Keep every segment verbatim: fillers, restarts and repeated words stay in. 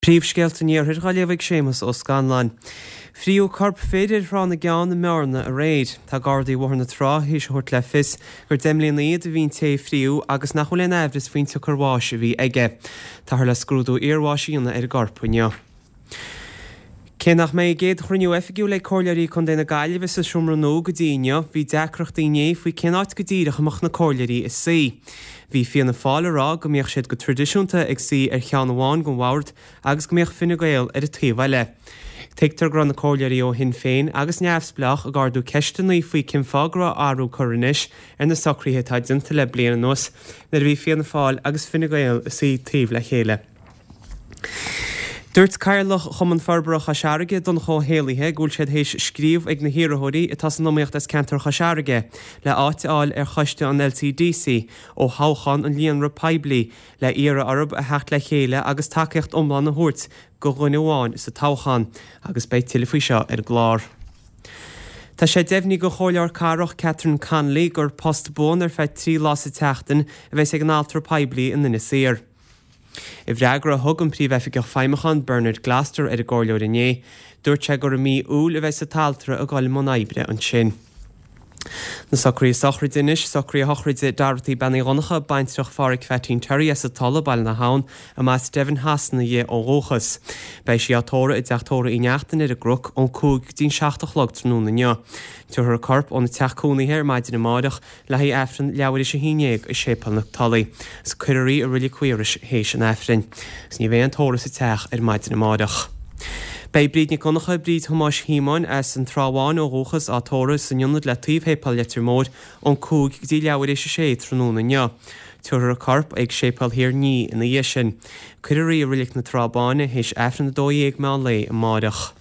Príomhscéalta an Iarthair á léamh ag Séamus Ó Scanláin. Fríodh corp fir ar Thrá na gCeann i mBearna aréir. Tá Gardaí Bhóthar na Trá théis a thabhairt le fios gur deich mbliana iad a bhí an té a fríodh agus nach bhfuil aon aimhreas faoin tsiocair bháis a bhí aige. Táthar le scrúdú iarbháis a dhéanamh ar an gcorp inniu. Cé nach mbeidh a gcéad chruinniú oifigiúil ag Comhairleoirí Contae na Gaillimhe sa seomra nua go dtí inniu, bhí deacrachtaí inné faoi cén áit go díreach a mbeadh na comhairleoirí ag suí. Bhí Fianna Fáil ag rá go mbíodh siad go traidisiúnta ag suí ar cheann amháin den bhord agus go mbíodh Fine Gael ar an taobh eile. Tuigtear go raibh na comhairleoirí ó Shinn Féin agus Neamhspleách ag ardú ceisteanna faoi cén fáth go raibh athrú curtha anois ar na socruithe atá déanta le bliain anuas nuair a bhí Fianna Fáil agus Fine Gael ag suí taobh le chéile. Dúirt Cathaoirleach Chumann Forbartha Chois Fharraige, Donncha Ó hÉallaithe, go bhfuil siad théis scríobh ag na hiarrthóirí atá san iomaíocht as ceantar Chois Fharraige le áit a fháil ar choiste an LCDC ó thoghchán an líonra poiblí le iarraidh orthu a theacht le chéile agus tacaíocht iomlán a thabhairt do dhuine amháin sa toghchán agus beidh tuilleadh faoi seo ar an gclár. Tá sé deimhnithe ag an Chomhairleoir Cathrach Catherine Connolly gur post buan ar feadh trí lá sa tseachtain a bheas ag an altra poiblí in Inis Oírr. I bhfreagra a thug an Príomhoifigeach Feidhmiúcháin Bernard Gloster ar an gcomhairleoir inné, dúirt sé gur i mí Iúil a bheas an t-altra ag dul i mbun oibre ansin. Na socruithe sochraide anois, socruithe sochraide Dorothy Bean Uí Dhonncha, baintreach Pháraic Pheaitín Terry as an Tulaigh, Baile na hAbhann, a mba as Devon Shasana di ó dhúchas. Beidh sí á tórramh i dteach tórraimh Uí Neachtain ar an gCnoc ón cúig go dtí'n seacht a chlog tráthnóna inniu. Tabharfar a corp óna teach cónaithe ar maidin amáireach le haghaidh Aifreann leathuair théis a haon déag i Séipéal na Tulaí. Is cuirfear í i Reilig Mhaorais théis an Aifrinn. Is ní bheidh aon tórramh sa teach ar maidin amáireach. Beidh Bríd Nic Dhonncha, Bríd Thomáis Shíomóin, as an Trá Bháin ó dhúchas, á tórramh san ionad le taobh Shéipéal Leitir Móir ón cúig go dtí leathuair théis a sé tráthnóna inniu. Tabharfar a corp ag Séipéal Thír an Fhia ina dhiaidh sin. Cuirfear í i Reilig na Trá Báine théis Aifreann a dó dhéag meán lae amáireach.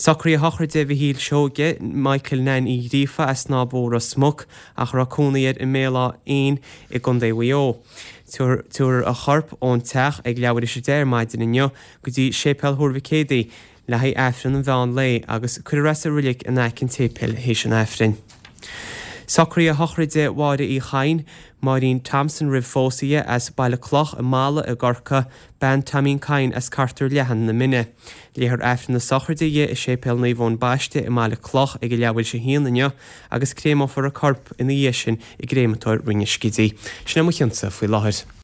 Socruithe sochraide Mhichíl Seoige, Michael Nan Uí Ghríofa as Snáth Bó Ros Muc ach a raibh cónaí air i mBéal Átha Fhionn i gContae Mhaigh Eo. Tabharfar a chorp ón teach ag leathuair théis a deich ar maidin inniu go dtí Séipéal Thuar Mhic Éadaigh le haghaidh Aifreann an mheán lae agus cuirfear é sa reilig in aice an tséipéil théis an Aifrinn. Socruithe sochraide Mháire Uí Chadhain, Máirín Thompson roimh phósadh di, as Baile Cloch i Mala i gCorcaigh, bean Tomín Kyne as Cartar Leathan na Mine. Léifear Aifreann na sochraide di i Séipéal Naomh Eoin Baiste i mBaile Cloch ag a leathuair théis a haon inniu agus créamófar a corp ina dhiaidh sin i gcréamatóir Rinn an Scidígh. Sin é mo chionsa faoi láthair.